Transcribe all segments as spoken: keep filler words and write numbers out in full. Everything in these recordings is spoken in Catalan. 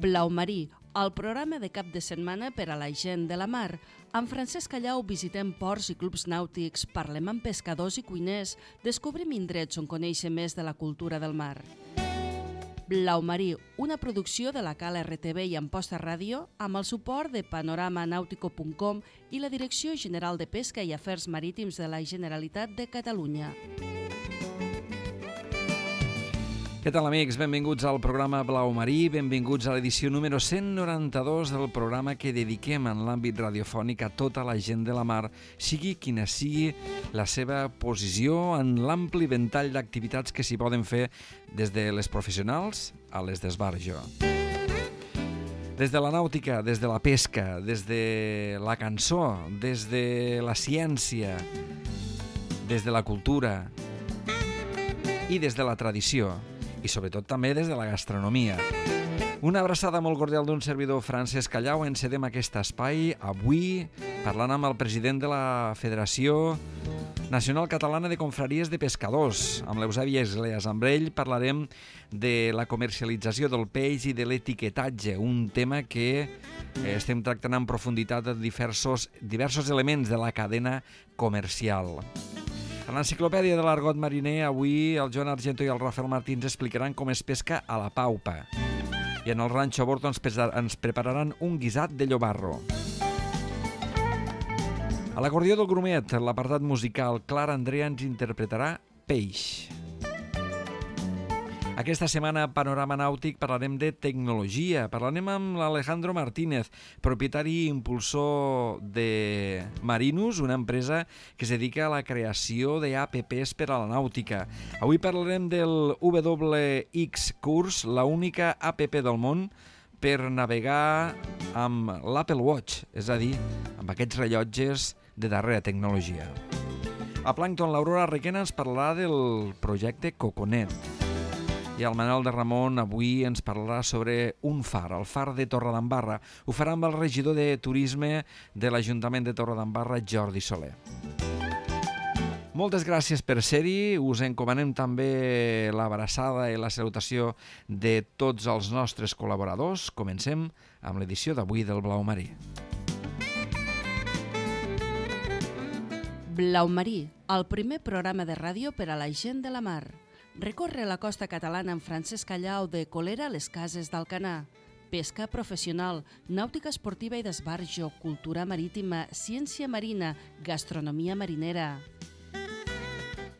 Blau Marí, el programa de cap de setmana per a la gent de la mar. Amb Francesc Callau visitem ports i clubs nàutics, parlem amb pescadors i cuiners, descobrim indrets on conèixer més de la cultura del mar. Blau Marí, una producció de la Cala R T V i Amposta Ràdio, amb el suport de panorama nàutico punt com i la Direcció General de Pesca i Afers Marítims de la Generalitat de Catalunya. Què tal, amics? Benvinguts al programa Blau Marí, benvinguts a l'edició número cent noranta-dos del programa que dediquem en l'àmbit radiofònic a tota la gent de la mar, sigui quina sigui la seva posició en l'ampli ventall d'activitats que s'hi poden fer des de les professionals a les d'esbarjo. Des de la nàutica, des de la pesca, des de la cançó, des de la ciència, des de la cultura i des de la tradició. I sobretot també des de la gastronomia. Una abraçada molt cordial d'un servidor, Francesc Callau. Encedem aquest espai avui parlant amb el president de la Federació Nacional Catalana de Confraries de Pescadors, amb l'Eusebi Esgleas. Amb ell parlarem de la comercialització del peix i de l'etiquetatge, un tema que estem tractant en profunditat de diversos, diversos elements de la cadena comercial. A l'enciclopèdia de l'argot mariner, avui el Joan Argento i el Rafael Martins explicaran com es pesca a la paupa. I en el Ranxo Bordo ens, ens prepararan un guisat de llobarro. A l'acordió del Grumet, l'apartat musical, Clara Andrea ens interpretarà Peix. Aquesta setmana a Panorama Nàutic parlarem de tecnologia. Parlarem amb l'Alejandro Martínez, propietari i impulsor de Marinus, una empresa que es dedica a la creació d'apps per a la nàutica. Avui parlarem del W X Course, l'única app del món per navegar amb l'Apple Watch, és a dir, amb aquests rellotges de darrera tecnologia. A Plàncton, l'Aurora Requena ens parlarà del projecte Coconet. I el Manel de Ramon avui ens parlarà sobre un far, el far de Torredembarra. Ho farà amb el regidor de Turisme de l'Ajuntament de Torredembarra, Jordi Soler. Moltes gràcies per ser-hi. Us encomanem també l'abraçada i la salutació de tots els nostres col·laboradors. Comencem amb l'edició d'avui del Blau Marí. Blau Marí, el primer programa de ràdio per a la gent de la mar. Recorre la costa catalana amb Francesc Callau de Colera a les Cases d'Alcanar. Pesca professional, nàutica esportiva i d'esbarjo, cultura marítima, ciència marina, gastronomia marinera.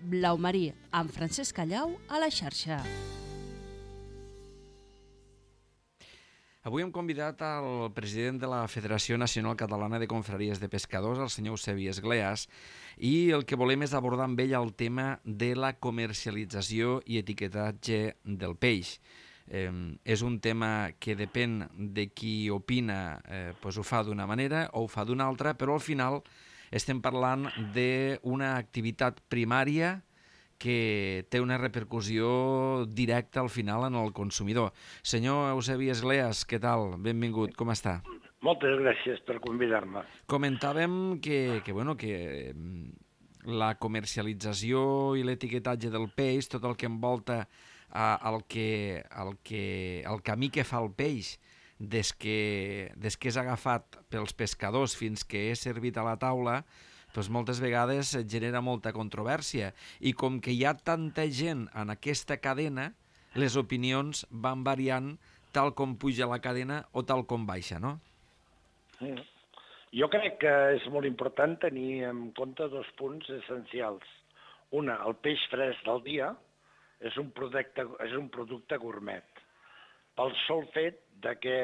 Blau Marí, amb Francesc Callau a la xarxa. Avui hem convidat al president de la Federació Nacional Catalana de Confraries de Pescadors, el senyor Eusebi Esgleas, i el que volem és abordar amb ell el tema de la comercialització i etiquetatge del peix. Eh, és un tema que depèn de qui opina, eh, doncs ho fa d'una manera o ho fa d'una altra, però al final estem parlant d'una activitat primària que té una repercussió directa al final en el consumidor. Senyor Eusebi Esgleas, què tal? Benvingut, com està? Moltes gràcies per convidar-me. Comentàvem que, que, bueno, que la comercialització i l'etiquetatge del peix, tot el que envolta el, que, el, que, el camí que fa el peix des que, des que és agafat pels pescadors fins que és servit a la taula, doncs moltes vegades genera molta controvèrsia. I com que hi ha tanta gent en aquesta cadena, les opinions van variant tal com puja la cadena o tal com baixa, no? Sí. Jo crec que és molt important tenir en compte dos punts essencials. Una, el peix fresc del dia és un producte, és un producte gourmet. Pel sol fet de que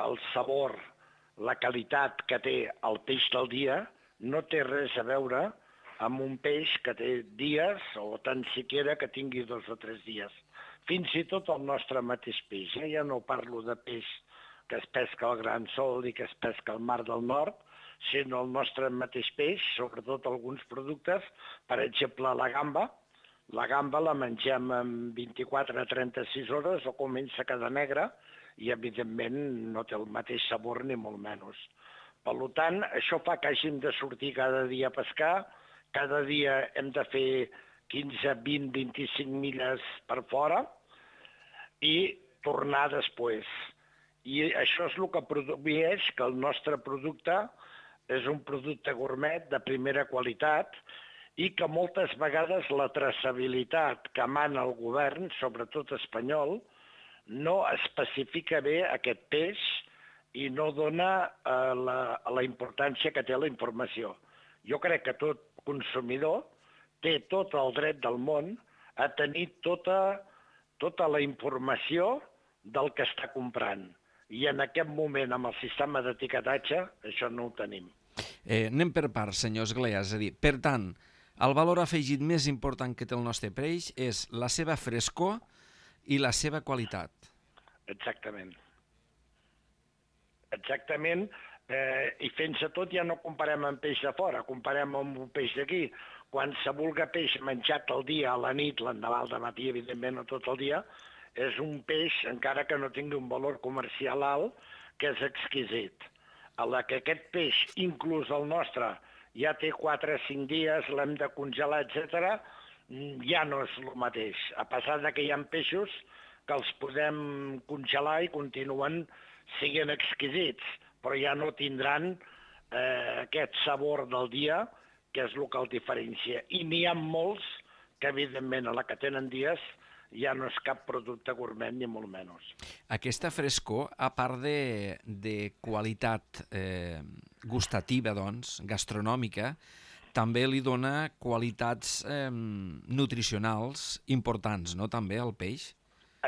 el sabor, la qualitat que té el peix del dia no té res a veure amb un peix que té dies o tan siquiera que tingui dos o tres dies. Fins i tot el nostre mateix peix. Eh? Ja no parlo de peix que es pesca al Gran Sol i que es pesca al Mar del Nord, sinó el nostre mateix peix, sobretot alguns productes, per exemple la gamba. La gamba la mengem en vint-i-quatre a trenta-sis hores o comença a quedar negra i evidentment no té el mateix sabor ni molt menys. Per tant, això fa que hàgim de sortir cada dia a pescar, cada dia hem de fer quinze, vint, vint-i-cinc milles per fora i tornar després. I això és el que produeix que el nostre producte és un producte gourmet de primera qualitat i que moltes vegades la traçabilitat que mana el govern, sobretot espanyol, no especifica bé aquest peix i no dona eh, la, la importància que té la informació. Jo crec que tot consumidor té tot el dret del món a tenir tota, tota la informació del que està comprant. I en aquest moment, amb el sistema d'etiquetatge, això no ho tenim. Eh, anem per parts, senyor Esglea. És a dir, per tant, el valor afegit més important que té el nostre peix és la seva frescor i la seva qualitat. Exactament. Exactament. Eh, I fent-se tot ja no comparem amb peix de fora, comparem amb un peix d'aquí. Quan se vulga peix menjat al dia, a la nit, l'endemà al matí, evidentment, no tot el dia, és un peix, encara que no tingui un valor comercial alt, que és exquisit. A la que aquest peix, inclús el nostre, ja té quatre o cinc dies, l'hem de congelar, etcètera, ja no és el mateix. A pesar de que hi ha peixos que els podem congelar i continuen siguent exquisits, però ja no tindran eh, aquest sabor del dia, que és el que el diferencia. I n'hi ha molts que, evidentment, a la que tenen dies, ja no és cap producte gourmet, ni molt menys. Aquesta frescor, a part de, de qualitat eh, gustativa, doncs, gastronòmica, també li dona qualitats eh, nutricionals importants, no?, també, al peix?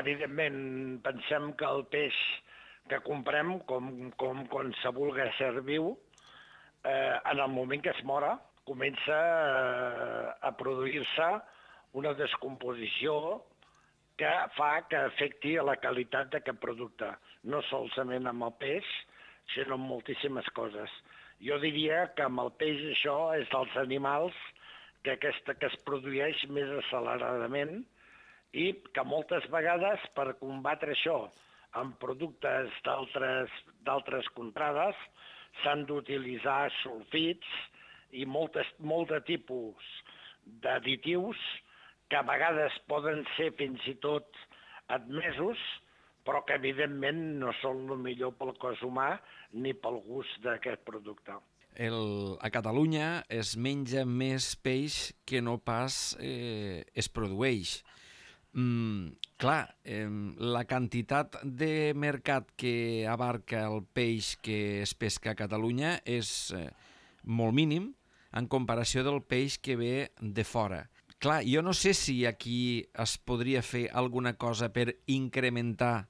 Evidentment, pensem que el peix que comprem, com, com quan se vulga ser viu, eh, en el moment que es mora, comença eh, a produir-se una descomposició que fa que afecti a la qualitat d'aquest producte, no solament amb el peix, sinó amb moltíssimes coses. Jo diria que amb el peix això és dels animals que, aquesta, que es produeix més acceleradament i que moltes vegades per combatre això amb productes d'altres contrades s'han d'utilitzar sulfits i moltes, molt de tipus d'additius que a vegades poden ser fins i tot admesos, però que evidentment no són el millor pel cos humà ni pel gust d'aquest producte. El, a Catalunya es menja més peix que no pas eh, es produeix. Mm, clar, eh, la quantitat de mercat que abarca el peix que es pesca a Catalunya és eh, molt mínim en comparació del peix que ve de fora. Clar, jo no sé si aquí es podria fer alguna cosa per incrementar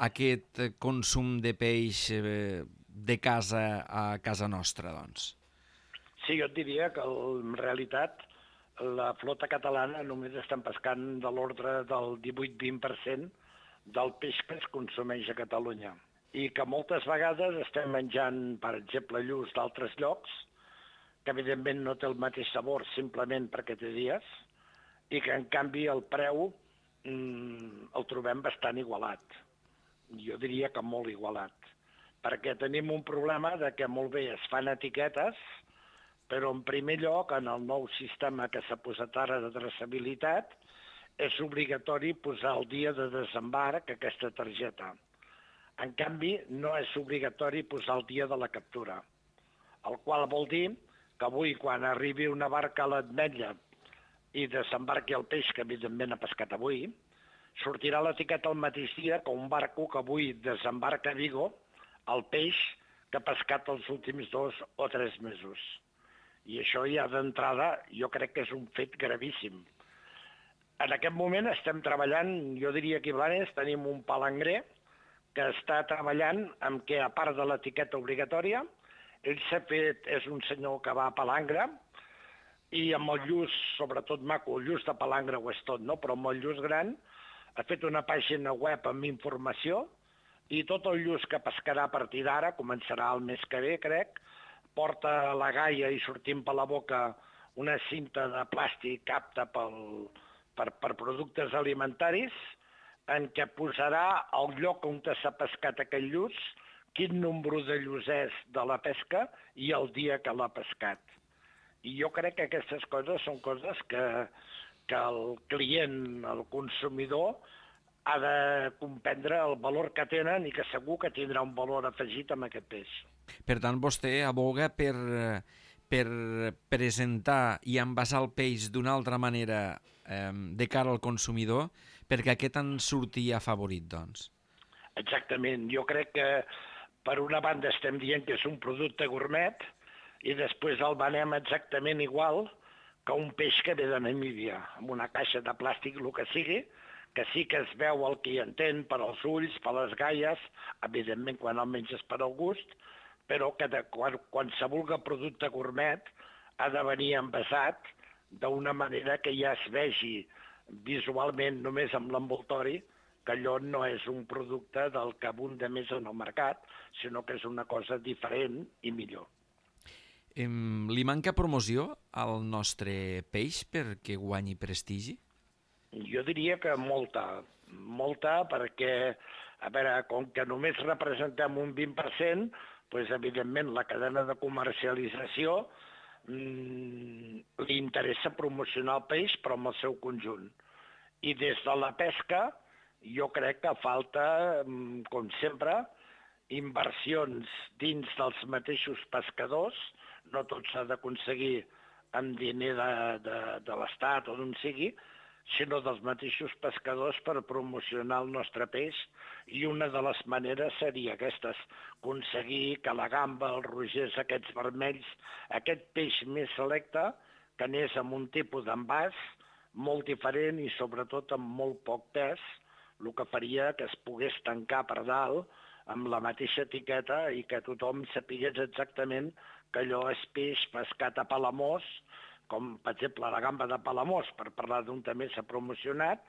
aquest consum de peix de casa a casa nostra, doncs. Sí, jo et diria que en realitat la flota catalana només estan pescant de l'ordre del divuit a vint per cent del peix que es consumeix a Catalunya. I que moltes vegades estem menjant, per exemple, lluç d'altres llocs, que evidentment no té el mateix sabor simplement perquè té dies, i que en canvi el preu mmm, el trobem bastant igualat. Jo diria que molt igualat, perquè tenim un problema de que molt bé es fan etiquetes, però en primer lloc, en el nou sistema que s'ha posat ara de traçabilitat, és obligatori posar el dia de desembarc aquesta targeta. En canvi, no és obligatori posar el dia de la captura, el qual vol dir que avui, quan arribi una barca a l'Ametlla i desembarqui el peix que evidentment ha pescat avui, sortirà l'etiqueta el mateix dia que un barco que avui desembarca a Vigo el peix que ha pescat els últims dos o tres mesos. I això ja d'entrada jo crec que és un fet gravíssim. En aquest moment estem treballant, jo diria que a Blanes tenim un palangrer que està treballant amb què, a part de l'etiqueta obligatòria, ell s'ha fet, és un senyor que va a palangre, i amb el lluç, sobretot maco, el lluç de palangre ho és tot, no? Però amb el lluç gran ha fet una pàgina web amb informació i tot el lluç que pescarà a partir d'ara, començarà el mes que ve, crec, porta a la gaia i sortint per la boca una cinta de plàstic apta pel, per, per productes alimentaris, en què posarà el lloc on s'ha pescat aquell lluç, quin nombre de lluçers de la pesca i el dia que l'ha pescat. I jo crec que aquestes coses són coses que, que el client, el consumidor, ha de comprendre el valor que tenen i que segur que tindrà un valor afegit amb aquest peix. Per tant, vostè aboga per, per presentar i envasar el peix d'una altra manera eh, de cara al consumidor perquè aquest en surti afavorit, doncs. Exactament. Jo crec que per una banda estem dient que és un producte gourmet i després el venem exactament igual que un peix que ve de Namíbia, amb una caixa de plàstic, el que sigui, que sí que es veu el que hi entén per als ulls, per les galles, evidentment quan el menges per al gust, però que de, quan, qualsevol producte gourmet ha de venir envasat d'una manera que ja es vegi visualment només amb l'envoltori que allò no és un producte del que abunda més en el mercat, sinó que és una cosa diferent i millor. Em, li manca promoció al nostre peix perquè guanyi prestigi? Jo diria que molta, molta perquè, a veure, com que només representem un vint per cent, doncs, evidentment, la cadena de comercialització mmm, li interessa promocionar el peix, però en el seu conjunt. I des de la pesca, jo crec que falta, com sempre, inversions dins dels mateixos pescadors, no tot s'ha d'aconseguir amb diner de, de, de l'Estat o d'on sigui, sinó dels mateixos pescadors per promocionar el nostre peix, i una de les maneres seria aquestes, aconseguir que la gamba, els rogers, aquests vermells, aquest peix més selecte, que anés amb un tipus d'envàs molt diferent i sobretot amb molt poc pes, el que faria que es pogués tancar per dalt amb la mateixa etiqueta i que tothom sapigués exactament que allò és peix pescat a Palamós, com per exemple la gamba de Palamós, per parlar d'un també s'ha promocionat,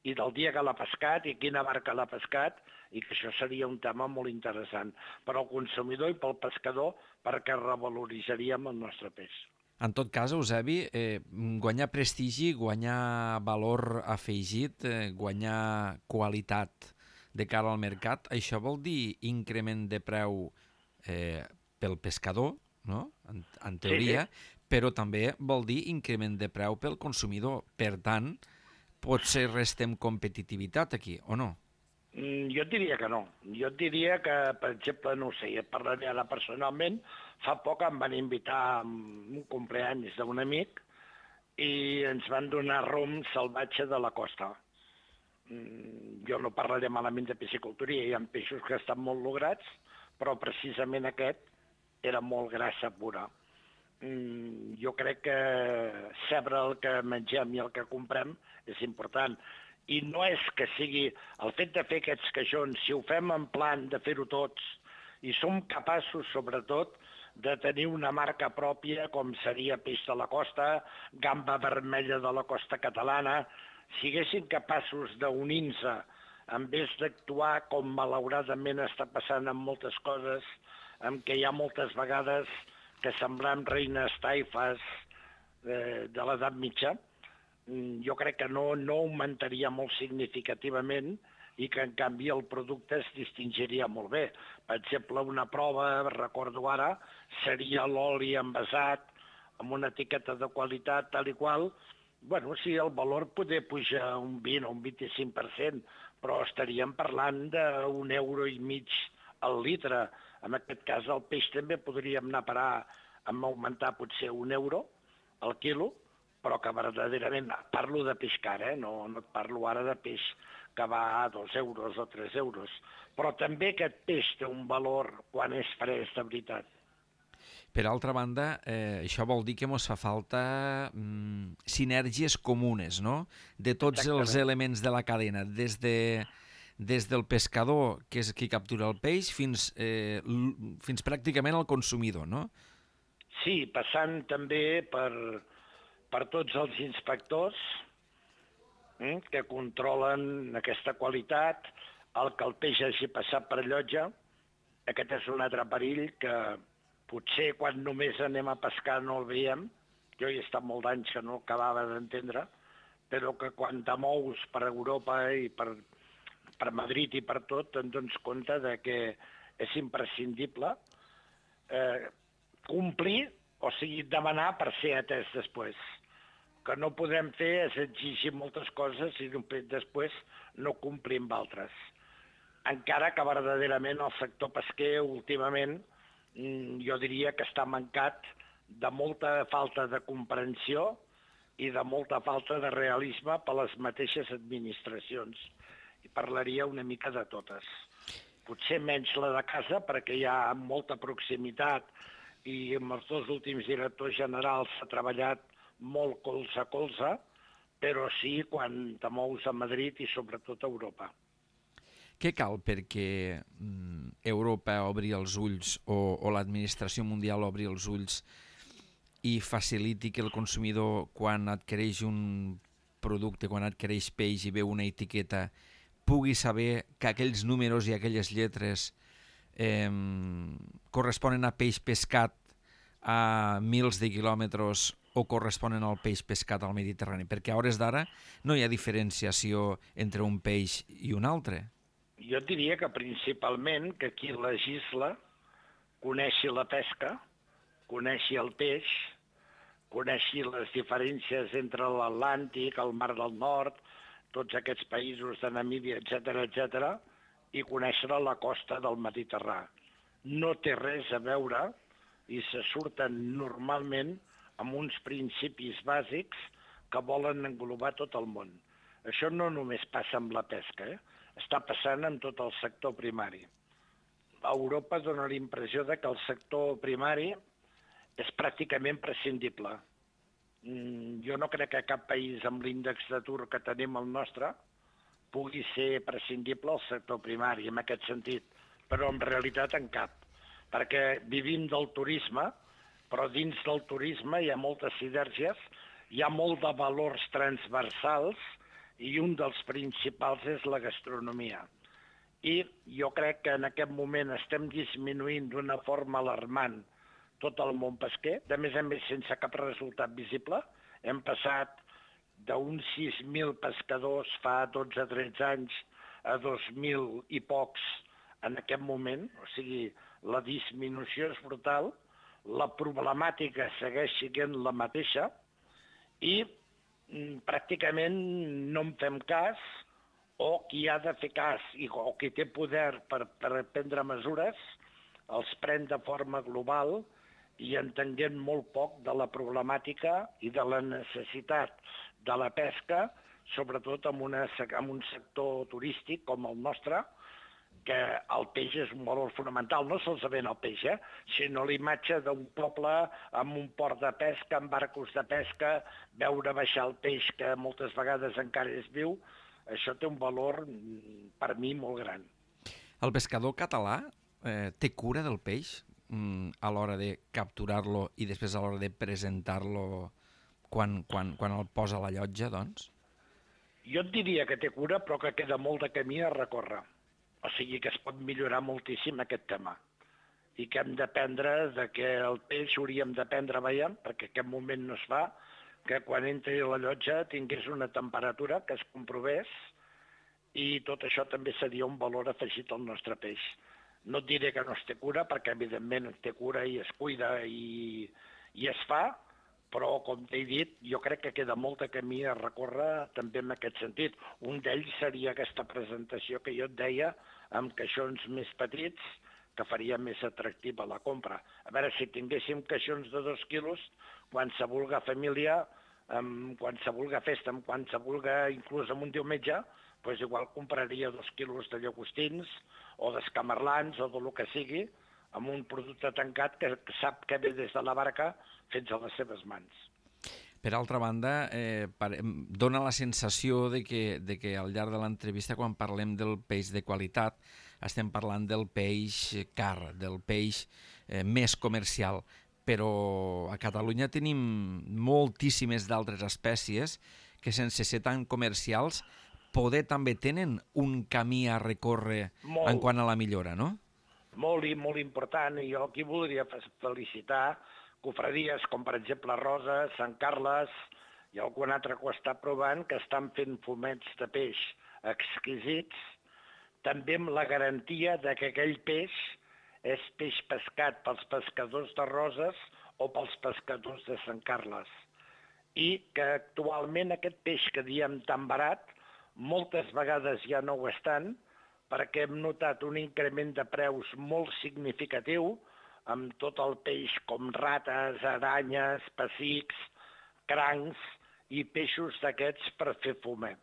i del dia que l'ha pescat i quina barca l'ha pescat, i que això seria un tema molt interessant per al consumidor i pel pescador, perquè revaloritzaríem el nostre peix. En tot cas, Eusebi, eh, guanyar prestigi, guanyar valor afegit, eh, guanyar qualitat de cara al mercat, això vol dir increment de preu eh, pel pescador, no? En, en teoria, sí, sí. Però també vol dir increment de preu pel consumidor. Per tant, potser restem competitivitat aquí, o no? Mm, jo et diria que no. Jo et diria que, per exemple, no ho sé, et parlaré ara personalment, fa poc em van invitar a un cumpleaños d'un amic i ens van donar rom salvatge de la costa. Mm, jo no parlaré malament de piscicultura, hi ha peixos que estan molt lograts, però precisament aquest era molt grassa pura. Mm, jo crec que saber el que mengem i el que comprem és important. I no és que sigui el fet de fer aquests caixons, si ho fem en plan de fer-ho tots, i som capaços, sobretot, de tenir una marca pròpia, com seria peix de la costa, gamba vermella de la costa catalana, si haguessin capaços d'unir-se, en vez d'actuar com malauradament està passant amb moltes coses, en què hi ha moltes vegades que semblem reines taifes eh, de l'edat mitja, jo crec que no, no augmentaria molt significativament i que, en canvi, el producte es distingiria molt bé. Per exemple, una prova, recordo ara, seria l'oli envasat amb una etiqueta de qualitat tal i qual. Bueno, sí, el valor poder pujar un vint o un vint-i-cinc per cent, però estaríem parlant d'un euro i mig al litre. En aquest cas, el peix també podríem anar a parar amb augmentar potser un euro al quilo, però que verdaderament, parlo de peix car, eh? no, no et parlo ara de peix que va a dos euros o tres euros, però també aquest peix té un valor quan és fresc de veritat. Per altra banda, eh, això vol dir que ens fa falta mm, sinergies comunes, no?, de tots Exactament. Els elements de la cadena, des de... des del pescador, que és qui captura el peix, fins, eh, fins pràcticament al consumidor, no? Sí, passant també per, per tots els inspectors eh, que controlen aquesta qualitat, el que el peix hagi passat per llotja. Aquest és un altre perill que potser quan només anem a pescar no el veiem. Jo hi he estat molt d'anys que no acabava d'entendre, però que quan te mous per Europa i per per Madrid i per tot, te'n dones compte de que és imprescindible eh, complir, o sigui, demanar per ser atès després. que no podem fer és exigir moltes coses i després no complir amb altres. Encara que verdaderament el sector pesquer últimament jo diria que està mancat de molta falta de comprensió i de molta falta de realisme per les mateixes administracions. I parlaria una mica de totes. Potser menys la de casa, perquè hi ha molta proximitat i amb els dos últims directors generals s'ha treballat molt colze a colze, però sí quan te mous a Madrid i sobretot a Europa. Què cal perquè Europa obri els ulls o, o l'administració mundial obri els ulls i faciliti que el consumidor, quan adquireix un producte, quan adquireix peix i veu una etiqueta, pugui saber que aquells números i aquelles lletres eh, corresponen a peix pescat a mils de quilòmetres o corresponen al peix pescat al Mediterrani? Perquè a hores d'ara no hi ha diferenciació entre un peix i un altre. Jo diria que principalment que qui legisla coneixi la pesca, coneixi el peix, coneixi les diferències entre l'Atlàntic, el Mar del Nord, tots aquests països de Namíbia, etcètera, etcètera, i conèixer la costa del Mediterrani. No té res a veure i se surten normalment amb uns principis bàsics que volen englobar tot el món. Això no només passa amb la pesca, eh? Està passant en tot el sector primari. A Europa dona la impressió de que el sector primari és pràcticament prescindible. Jo no crec que cap país amb l'índex d'atur que tenim el nostre pugui ser prescindible al sector primari, en aquest sentit, però en realitat en cap, perquè vivim del turisme, però dins del turisme hi ha moltes sinergies, hi ha molt de valors transversals i un dels principals és la gastronomia. I jo crec que en aquest moment estem disminuint d'una forma alarmant tot el món pesquer, de més en més sense cap resultat visible. Hem passat d'uns sis mil pescadors fa dotze o tretze anys a dos mil i pocs en aquest moment, o sigui, la disminució és brutal, la problemàtica segueix sent la mateixa i pràcticament no en fem cas, o qui ha de fer cas i, o qui té poder per, per prendre mesures els pren de forma global i entenguent molt poc de la problemàtica i de la necessitat de la pesca, sobretot en, una, en un sector turístic com el nostre, que el peix és un valor fonamental, no solament el peix, eh? sinó l'imatge d'un poble amb un port de pesca, amb barcos de pesca, veure baixar el peix que moltes vegades encara és viu, això té un valor per mi molt gran. El pescador català eh, té cura del peix mm, a l'hora de capturar-lo i després a l'hora de presentar-lo quan, quan, quan el posa a la llotja, doncs? Jo et diria que té cura, però que queda molt de camí a recórrer. O sigui que es pot millorar moltíssim aquest tema i que hem d'aprendre de que el peix hauríem d'aprendre veient, perquè en aquest moment no es fa, que quan entri a la llotja tingués una temperatura que es comprovés i tot això també seria un valor afegit al nostre peix. No et diré que no es té cura, perquè evidentment es té cura i es cuida i, i es fa, però, com t'he dit, jo crec que queda molt de camí a recórrer també en aquest sentit. Un d'ells seria aquesta presentació que jo et deia amb caixons més petits que faria més atractiva la compra. A veure, si tinguéssim caixons de dos quilos, quan se vulga família, quan se vulga festa, quan se vulga inclús en un diumenge, doncs igual compraria dos quilos de llagostins o d'escamarlans o del que sigui, amb un producte tancat que sap que ve des de la barca fins a les seves mans. Per altra banda, eh, dona la sensació de que, de que al llarg de l'entrevista, quan parlem del peix de qualitat, estem parlant del peix car, del peix eh, més comercial, però a Catalunya tenim moltíssimes d'altres espècies que, sense ser tan comercials, poder també tenen un camí a recórrer molt, en quant a la millora, no? Molt i molt important, i jo aquí voldria felicitar cofradies com per exemple Roses, Sant Carles i algun altre que ho està provant, que estan fent fumets de peix exquisits, també amb la garantia de que aquell peix és peix pescat pels pescadors de Roses o pels pescadors de Sant Carles. i que actualment aquest peix que diem tan barat, moltes vegades ja no ho estan, perquè hem notat un increment de preus molt significatiu amb tot el peix com rates, aranyes, pessics, crancs i peixos d'aquests per fer fumet.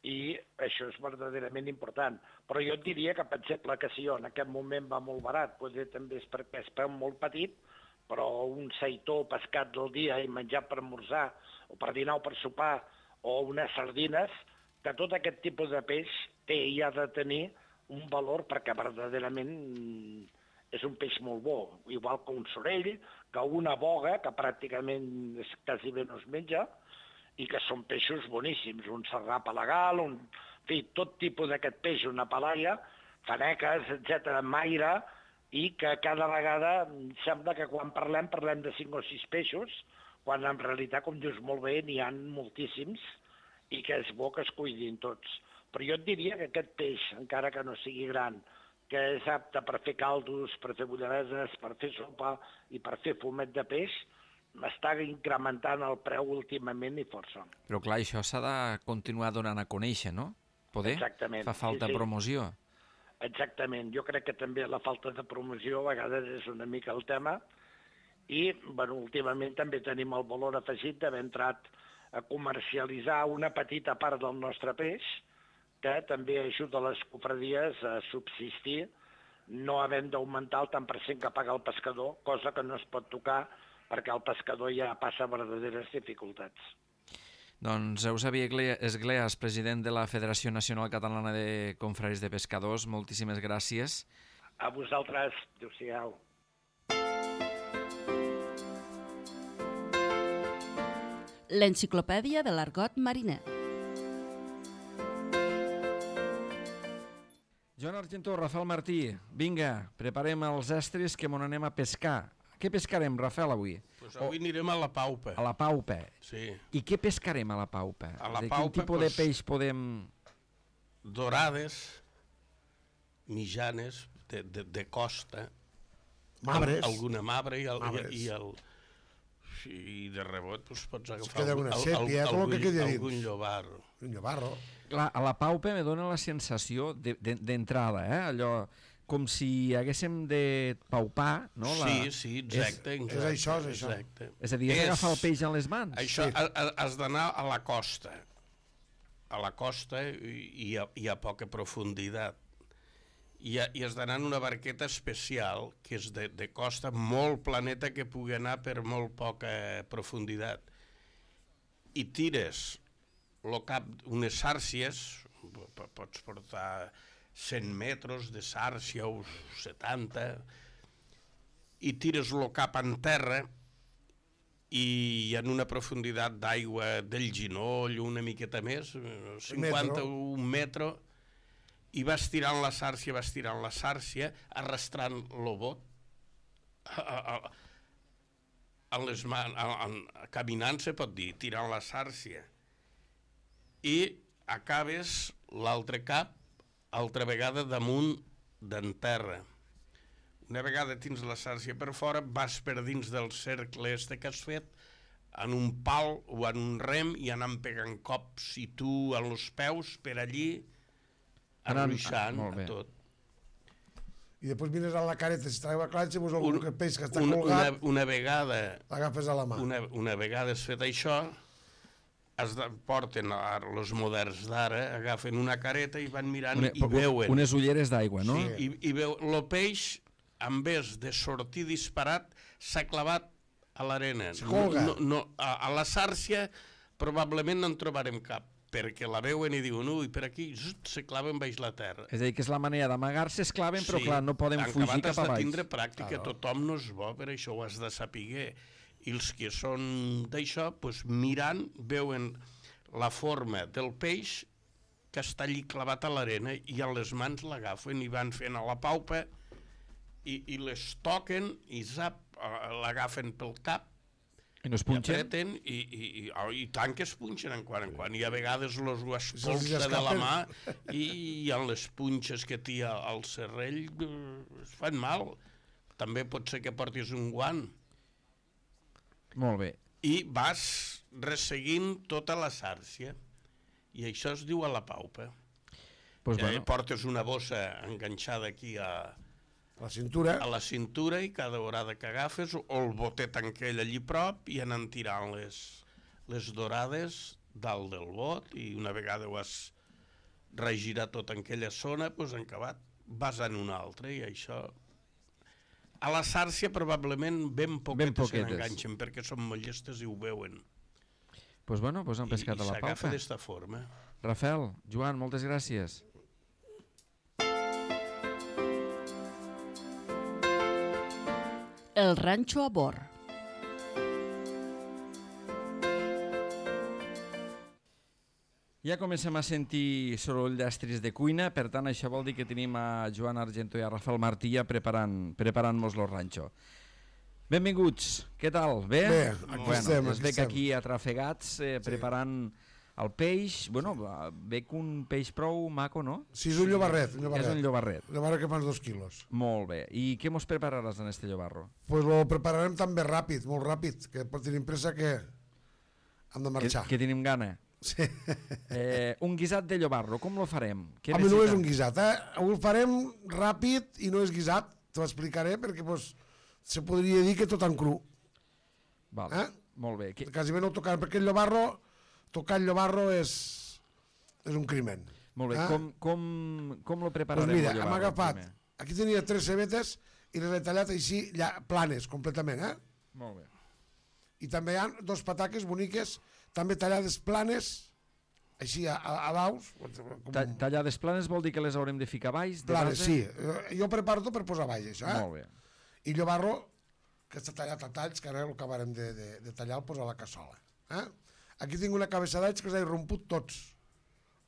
I això és verdaderament important. Però jo et diria que, per exemple, que si jo en aquest moment va molt barat, potser també és perquè és preu molt petit, però un seitó pescat del dia i menjat per esmorzar, o per dinar o per sopar, o unes sardines, que tot aquest tipus de peix té i ha de tenir un valor perquè verdaderament és un peix molt bo, igual que un sorell, que una boga, que pràcticament és, quasi bé no es menja, i que són peixos boníssims, un serrà palagal, un, en fi, tot tipus d'aquest peix, una palaia, faneques, etcètera, maire, i que cada vegada sembla que quan parlem, parlem de cinc o sis peixos, quan en realitat, com dius molt bé, n'hi ha moltíssims, i que és bo que es cuidin tots. Però jo et diria que aquest peix, encara que no sigui gran, que és apte per fer caldos, per fer bulladeses, per fer sopa i per fer fumet de peix, està incrementant el preu últimament i força. Però clar, això s'ha de continuar donant a conèixer, no? Poder? Exactament. Fa falta sí, sí. promoció. Exactament. Jo crec que també la falta de promoció a vegades és una mica el tema i, bueno, últimament també tenim el valor afegit d'haver entrat a comercialitzar una petita part del nostre peix que també ajuda les cofradies a subsistir no havent d'augmentar el tant per cent que paga el pescador, cosa que no es pot tocar perquè el pescador ja passa verdaderes dificultats. Doncs Eusebi Esgleas, president de la Federació Nacional Catalana de Confraris de Pescadors, moltíssimes gràcies. A vosaltres, adéu-siau. L'enciclopèdia de l'argot mariner. Joan Argentó, Rafael Martí, vinga, preparem els estris que m'on anem a pescar. Què pescarem, Rafael, avui? Pues avui anirem a la Paupa. A la Paupa. Sí. I què pescarem a la Paupa? A la de Paupa, quin tipus pues, de peix podem... Dorades, mitjanes, de, de, de costa. Mabres. Alguna mabre i el... Mabres. I, i el i de rebot pues, pots agafar queda una el, sèpia, el, com algun, que quedi dins. algun llobarro. Un llobarro. Clar, a la Paupa me dóna la sensació d'entrada, eh? Allò com si haguéssim de paupar, no? La... Sí, sí, exacte. És, exacte, és això, és això. Exacte. És a dir, és agafar el peix en les mans. Això, Sí. a, a, has d'anar a la costa. A la costa i a, i a poca profunditat. I, a, i has d'anar en una barqueta especial, que és de, de costa, molt planeta, que pugui anar per molt poca profunditat. I tires lo cap unes sàrcies, pots portar cent metres de sàrcia o setanta, i tires lo cap en terra i en una profunditat d'aigua del ginoll, una miqueta més, cinquanta o un metro, i vas tirant la sàrcia, vas tirant la sàrcia, arrastrant lo bot, a, a, a, en les mans, a, a, caminant se pot dir, tirant la sàrcia, i acabes l'altre cap altra vegada damunt d'en terra. Una vegada tens la sàrcia per fora, vas per dins del cercle este que has fet, en un pal o en un rem, i anant pegant cops i tu en els peus per allí, arruixant ah, a tot. I després mires a la careta, si treu a clatxa, pues algun Un, peix que està una, colgat, una, una vegada, l'agafes a la mà. una, una vegada has fet això, es de, porten els moderns d'ara, agafen una careta i van mirant Una, i veuen. Unes ulleres d'aigua, no? Sí, i, i veu, el peix, en vez de sortir disparat, s'ha clavat a l'arena. Se colga. No, no, a, a la sàrcia probablement no en trobarem cap, perquè la veuen i diuen, ui, per aquí, zut, se claven baix la terra. És a dir, que és la manera d'amagar-se, es claven, però clar, no poden en fugir acabat cap has a de baix. tindre pràctica, Claro. tothom no és bo, per això ho has de saber. I els que són d'això, pues, mirant, veuen la forma del peix que està allí clavat a l'arena i a les mans l'agafen i van fent a la paupa i, i les toquen i zap, l'agafen pel cap I no es i punxen? apreten i, i, i, oh, i tant que es punxen en quan en quan, i a vegades los ho Se'ls espolsa de la escapen. mà i, i en les punxes que té al serrell eh, es fan mal. També pot ser que portis un guant. Molt bé. i vas resseguint tota la sàrcia. I això es diu a la paupa. Pues I bueno. portes una bossa enganxada aquí a, La cintura. a la cintura i cada vegada que agafes o el botet aquell allí prop i anar tirant les, les dorades dalt del bot i una vegada ho has regirat tot en aquella zona, doncs en acabat vas en una altra i això... A la sàrcia probablement ben poquetes, poquetes. se n'enganxen perquè són molt llestes i ho veuen. Pues bueno, pues han pescat I, a i la s'agafa paupa. d'esta forma. Rafael, Joan, moltes gràcies. El ranxo a bord. Ja comencem a sentir soroll d'estris de cuina, per tant això vol dir que tenim a Joan Argento i a Rafael Martilla preparant, preparant-nos lo ranxo. Benvinguts, què tal? Bé? Bé, aquí bueno, estem, es aquí veig estem. aquí atrafegats, eh, preparant el peix. Bueno, veig un peix prou maco, no? Sí, és un llobarret. Un llobarret. És un llobarret. Un llobarret que fa uns dos quilos. Molt bé. I què mos prepararàs en este llobarro? Pues lo prepararem també ràpid, molt ràpid, que tenim pressa que hem de Que, marxar. que tenim gana. Sí. Eh, un guisat de llobarro, com lo farem? Què A mi no és necessita? un guisat, eh? Avui el farem ràpid i no és guisat, t'ho explicaré, perquè pues, se podria dir que tot en cru. Val. Eh? Molt bé. Que... Quasi bé no tocar, perquè el llobarro, tocar el llobarro és, és un crimen. Molt bé. Eh? Com, com, com lo Pues prepararem? mira, lo hem llobarro, agafat, primer? aquí tenia tres cebetes i les he tallat així, ja, planes, completament, eh? Molt bé. I també hi ha dos pataques boniques, també tallades planes, així a, a, a daus. Com... Ta tallades planes vol dir que les haurem de ficar baix? De Planes, base? sí. Eh, Jo preparo tot per posar baix, això, eh? Molt bé. I llobarro, que està tallat a talls, que ara ho acabarem de, de, de tallar, el posa a la cassola. Eh? Aquí tinc una cabeça d'alls que s'ha romput tots.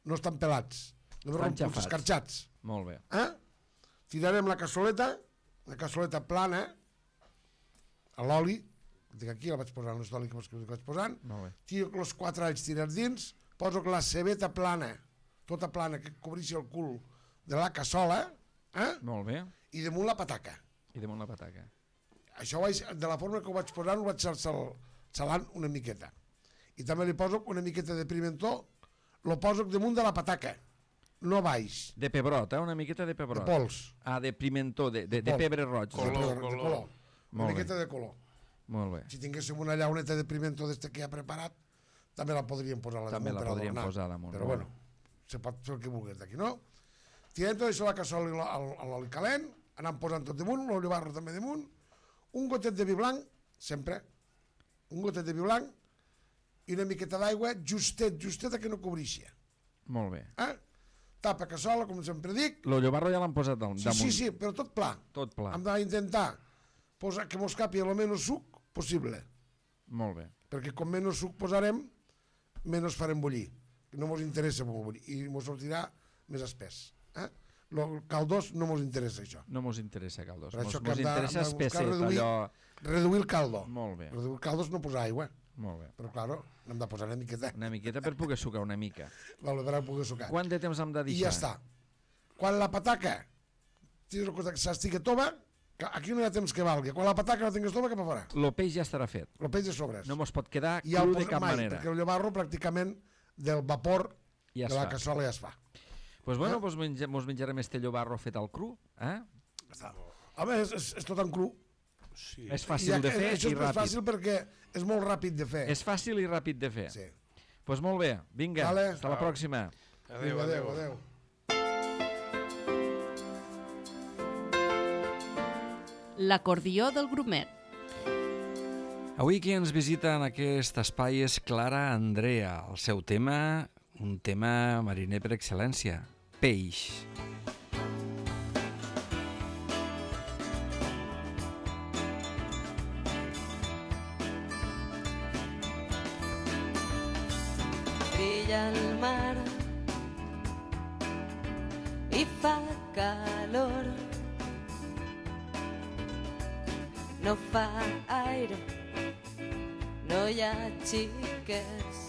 No estan pelats. No Estan romputs, xafats. escarxats. Molt bé. Eh? Tirarem la cassoleta, la cassoleta plana, a l'oli, tinc aquí, la vaig posant, l'oli que vaig posant, Molt bé. tiro els quatre alls tirats dins, poso la cebeta plana, tota plana, que cobreixi el cul de la cassola, eh? Molt bé. I damunt la pataca. I damunt la pataca. Això vaig, de la forma que ho vaig posant, ho vaig sal, salant una miqueta. I també li poso una miqueta de pimentó, lo poso damunt de la pataca, no baix, De pebrot, eh? Una miqueta de de pebrot. pols, Ah, de pimentó, de, de, de Pol. pebre roig. Color, de, de color. color, una Molt bé. miqueta de color. Molt bé. Si tinguéssim una llauneta de pimentó d'este que ha preparat, també la podríem posar a la També damunt la per podríem adornar. posar damunt, Però molt bueno, se pot fer el que vulguis d'aquí, no? Tirem tot això a la cassola i al- a l'oli calent, anem posant tot damunt, el llobarro també damunt, un gotet de vi blanc, sempre, un gotet de vi blanc, i una miqueta d'aigua, justet, justeta que no cobreixi. Molt bé. Eh? Tapa cassola, com sempre dic. Lo llobarro ja l'han posat dal- Sí, damunt. sí, sí, però tot pla. Tot pla. Hem d'intentar posar que mos capi el menys suc possible, Molt bé. perquè com menys suc posarem, menys farem bullir. No mos interessa molt bullir, i mos sortirà més espès. Eh? El caldós no mos interessa, això. No mos interessa caldós. Per Mos, això que mos hem de- interessa hem de buscar espesset, reduir- allò... Reduir el caldo. Molt bé, Reduir el caldo és no posar aigua, molt bé. però claro, n'hem de posar una miqueta. Una miqueta per poder sucar una mica. Vale, per a poder sucar. Quant de temps hem de I deixar? ja està. Quan la pataca s'estigui tova, que aquí no hi ha temps que valgui. Quan la pataca la tingues tova, cap a fora. Lo peix ja estarà fet. El peix de sobres. No mos pot quedar I ja el cru de posa cap mai, manera. perquè el llobarro pràcticament del vapor Ja de es la fa. cassola ja es fa. Pues bueno, Eh? pues menja, mos menjarem este llobarro fet al cru. Eh? Està. Home, és, és, és tot en cru. Sí. És I fàcil de ja- fer això i és més ràpid. fàcil perquè és molt ràpid de fer. És fàcil i ràpid de fer. Sí. Pues molt bé, vinga, Vale. hasta la pròxima. Adéu, Vinga, adéu. adéu, adéu. L'acordió del grumet. Avui qui ens visita en aquest espai és Clara Andrea. El seu tema, un tema mariner per excel·lència, peix. Brilla el mar i fa calor. No fa aire, no hi ha xiquets.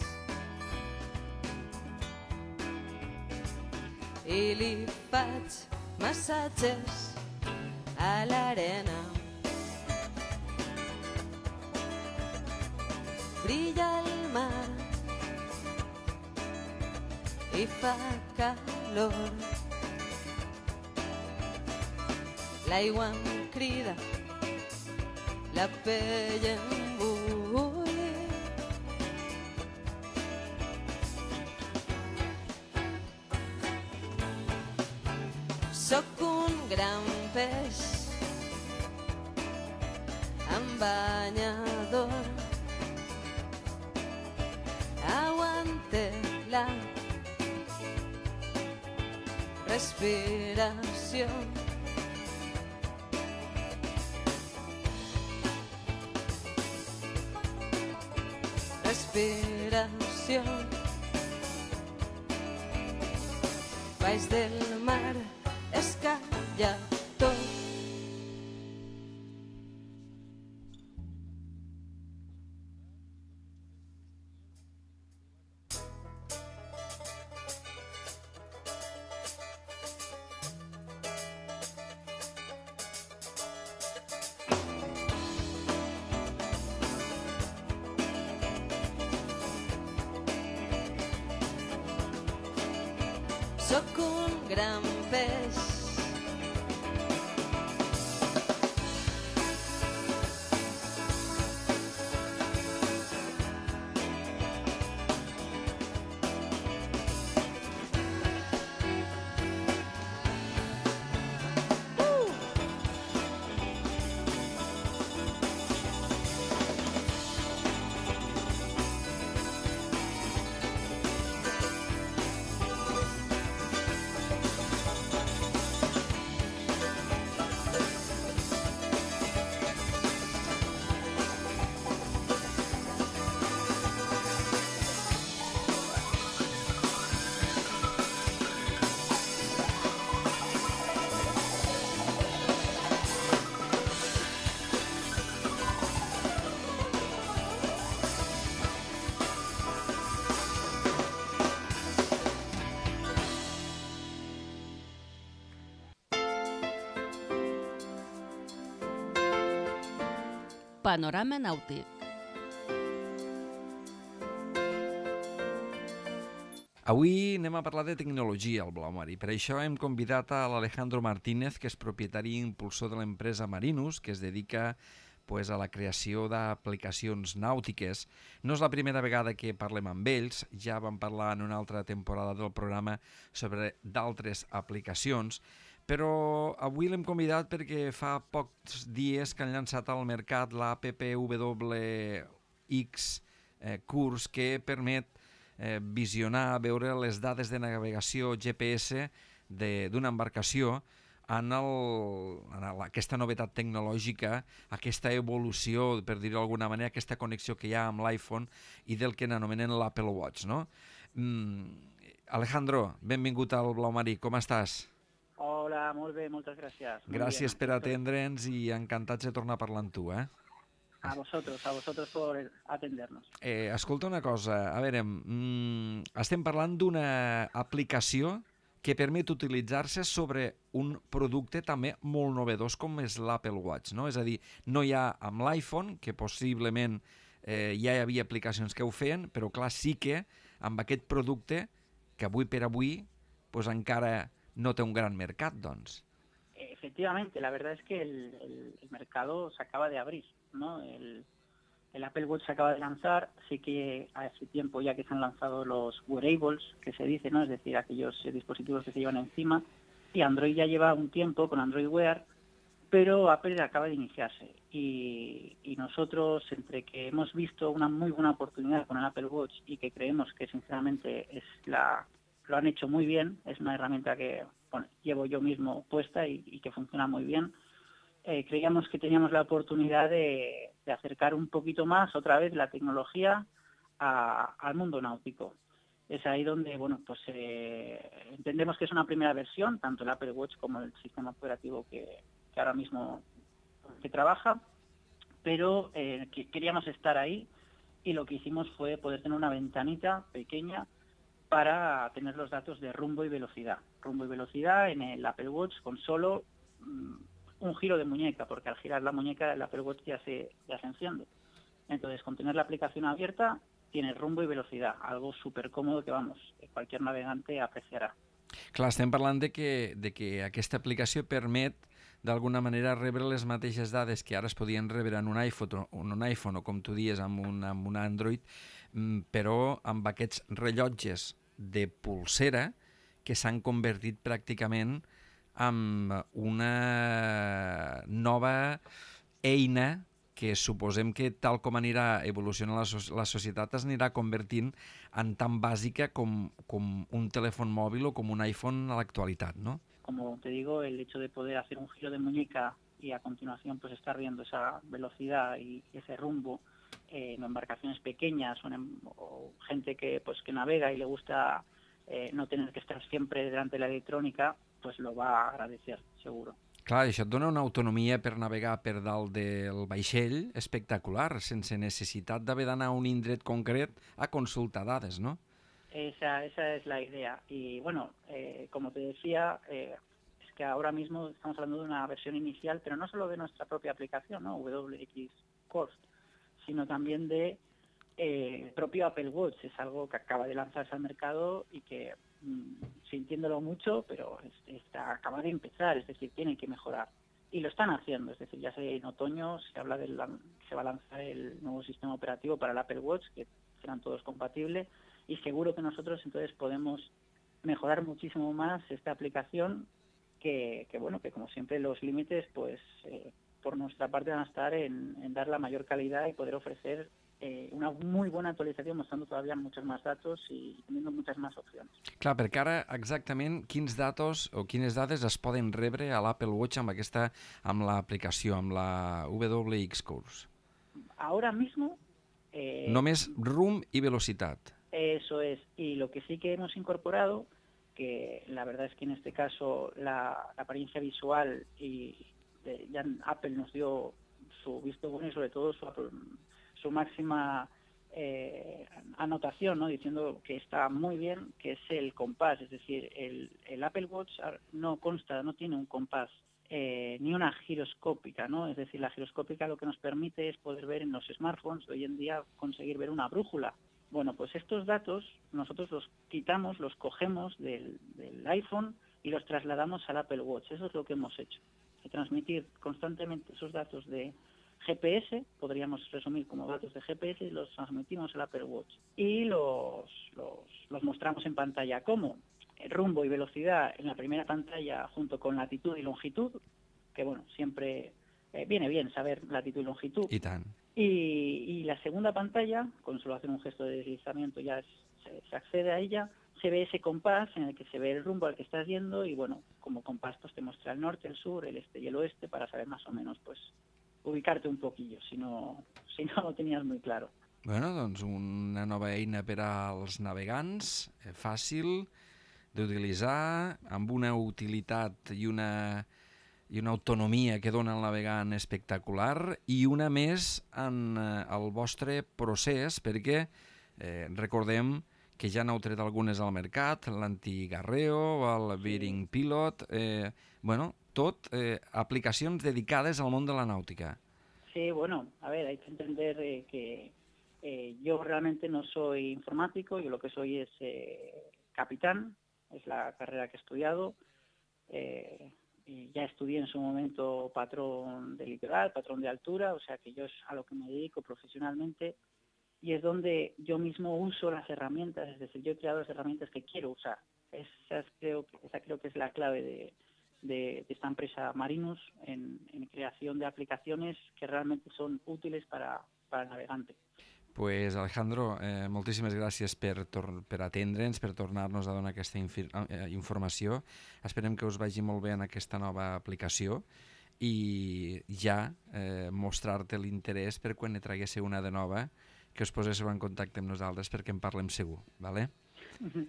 I li faig massatges a l'arena. brilla el mar i fa calor. L'aigua em crida, la pell em bulli. Sóc un gran peix amb banyador. Aguante la respiració. Respiració. Baix del mar es calla tot. Sóc un gran peix Panorama nàutic. Avui anem a parlar de tecnologia al Blau Marí. Per això hem convidat a l'Alejandro Martínez, que és propietari i impulsor de l'empresa Marinus, que es dedica pues, a la creació d'aplicacions nàutiques. No és la primera vegada que parlem amb ells, ja vam parlar en una altra temporada del programa sobre d'altres aplicacions, però avui l'hem convidat perquè fa pocs dies que han llançat al mercat l'App W X eh, Curs, que permet eh, visionar, veure les dades de navegació G P S d'una embarcació en, el, en el, aquesta novetat tecnològica, aquesta evolució, per dir-ho d'alguna manera, aquesta connexió que hi ha amb l'iPhone i del que n'anomenen l'Apple Watch, no? Mm, Alejandro, benvingut al Blau Marí, com estàs? Hola, molt bé, moltes gràcies. Muy Gràcies bien. per atendre'ns i encantats de tornar a parlar amb tu, eh? A vosotros, a vosotros por atendernos. Eh, escolta una cosa, a veure, mm, estem parlant d'una aplicació que permet utilitzar-se sobre un producte també molt novedós com és l'Apple Watch, no? És a dir, no hi ha amb l'iPhone, que possiblement eh, ja hi havia aplicacions que ho feien, però clar, sí que amb aquest producte, que avui per avui pues, encara no té un gran mercat, doncs. Efectivamente, la verdad es que el, el, el mercado se acaba de abrir, ¿no? El, el Apple Watch se acaba de lanzar, sí que hace tiempo ya que se han lanzado los wearables, que se dice, ¿no? Es decir, aquellos eh, dispositivos que se llevan encima, y Android ya lleva un tiempo con Android Wear, pero Apple acaba de iniciarse. Y, y nosotros, entre que hemos visto una muy buena oportunidad con el Apple Watch y que creemos que sinceramente es la... lo han hecho muy bien, es una herramienta que bueno, llevo yo mismo puesta y, y que funciona muy bien. Eh, creíamos que teníamos la oportunidad de, de acercar un poquito más otra vez la tecnología a, al mundo náutico. Es ahí donde bueno, pues eh, entendemos que es una primera versión, tanto el Apple Watch como el sistema operativo que, que ahora mismo que trabaja, pero eh, que queríamos estar ahí y lo que hicimos fue poder tener una ventanita pequeña para tener los datos de rumbo y velocidad. Rumbo y velocidad en el Apple Watch con solo um, un giro de muñeca, porque al girar la muñeca el Apple Watch ya se, ya se enciende. Entonces, con tener la aplicación abierta, tienes rumbo y velocidad, algo súper cómodo que, vamos, cualquier navegante apreciarà. Clar, estem parlant de que, de que aquesta aplicació permet d'alguna manera rebre les mateixes dades que ara es podien rebre en un iPhone, en un iPhone o com tu dies amb un, amb un Android, però amb aquests rellotges de polsera que s'han convertit pràcticament en una nova eina que suposem que tal com anirà evolucionant la, so la societat es anirà convertint en tan bàsica com, com un telèfon mòbil o com un iPhone a l'actualitat, ¿no? Como te digo, el hecho de poder hacer un giro de muñeca y a continuación pues estar viendo esa velocidad y ese rumbo eh, en embarcaciones pequeñas o, en, o gente que pues que navega y le gusta eh, no tener que estar siempre delante de la electrónica, pues lo va a agradecer, seguro. Clar, això et dona una autonomia per navegar per dalt del vaixell espectacular, sense necessitat d'haver d'anar a un indret concret a consultar dades, ¿no? Esa, esa es la idea. Y bueno, eh, como te decía, eh, es que ahora mismo estamos hablando de una versión inicial, pero no solo de nuestra propia aplicación, ¿no? W X Course, sino también de eh, propio Apple Watch. Es algo que acaba de lanzarse al mercado y que, mmm, sintiéndolo mucho, pero es, está, acaba de empezar, es decir, tiene que mejorar. Y lo están haciendo, es decir, ya sé, en otoño se habla de la, se va a lanzar el nuevo sistema operativo para el Apple Watch, que serán todos compatibles, y seguro que nosotros entonces podemos mejorar muchísimo más esta aplicación, que, que bueno, que como siempre los límites, pues eh, por nuestra parte van a estar en, en dar la mayor calidad y poder ofrecer eh, una muy buena actualització mostrando todavía muchos más datos y teniendo muchas más opcions. Clar, perquè ara exactament quins datos o quines dades es poden rebre a l'Apple Watch amb aquesta, amb l'aplicació, amb la W X Course? Ahora mismo... Eh, Només rumb i velocitat. Eso es, y lo que sí que hemos incorporado, que la verdad es que en este caso la, la apariencia visual y de, ya Apple nos dio su visto bueno y sobre todo su, su máxima eh, anotación, ¿no? Diciendo que está muy bien, que es el compás, es decir, el, el Apple Watch no consta, no tiene un compás eh, ni una giroscópica, ¿no? Es decir, la giroscópica lo que nos permite es poder ver en los smartphones de hoy en día, conseguir ver una brújula. Bueno, pues estos datos nosotros los quitamos, los cogemos del, del iPhone y los trasladamos al Apple Watch. Eso es lo que hemos hecho. De transmitir constantemente esos datos de G P S, podríamos resumir como datos de G P S, y los transmitimos al Apple Watch. Y los, los, los mostramos en pantalla. ¿Cómo? El rumbo y velocidad en la primera pantalla junto con latitud y longitud, que bueno, siempre eh, viene bien saber latitud y longitud. I tant. Y, y la segunda pantalla, con solo hacer un gesto de deslizamiento ya es, se, se accede a ella, se ve ese compás en el que se ve el rumbo al que estás yendo y bueno, como compás pues te muestra el norte, el sur, el este y el oeste para saber más o menos pues ubicarte un poquillo, si no, si no lo tenías muy claro. Bueno, doncs una nova eina per als navegants, eh, fàcil d'utilitzar, amb una utilitat i una... i una autonomia que dona el navegant espectacular i una més en eh, el vostre procés, perquè eh, recordem que ja n'heu tret algunes al mercat, l'Antigarreo, el Bearing Pilot, eh, bueno, tot eh, aplicacions dedicades al món de la nàutica. Sí, bueno, a ver, hay que entender eh, que eh, yo realmente no soy informático, yo lo que soy es eh, capitán, es la carrera que he estudiado, eh, y ya estudié en su momento patrón de litoral, patrón de altura, o sea que yo es a lo que me dedico profesionalmente y es donde yo mismo uso las herramientas, es decir, yo he creado las herramientas que quiero usar. Esa creo, esa creo que es la clave de, de, de esta empresa Marinus en, en creación de aplicaciones que realmente son útiles para, para el navegante. Pues Alejandro, eh, moltíssimes gràcies per, per atendre'ns, per tornar-nos a donar aquesta infi eh, informació. Esperem que us vagi molt bé en aquesta nova aplicació i ja eh, mostrar-te l'interès per quan ne traguéssiu una de nova, que us poséssiu en contacte amb nosaltres perquè en parlem segur, ¿vale?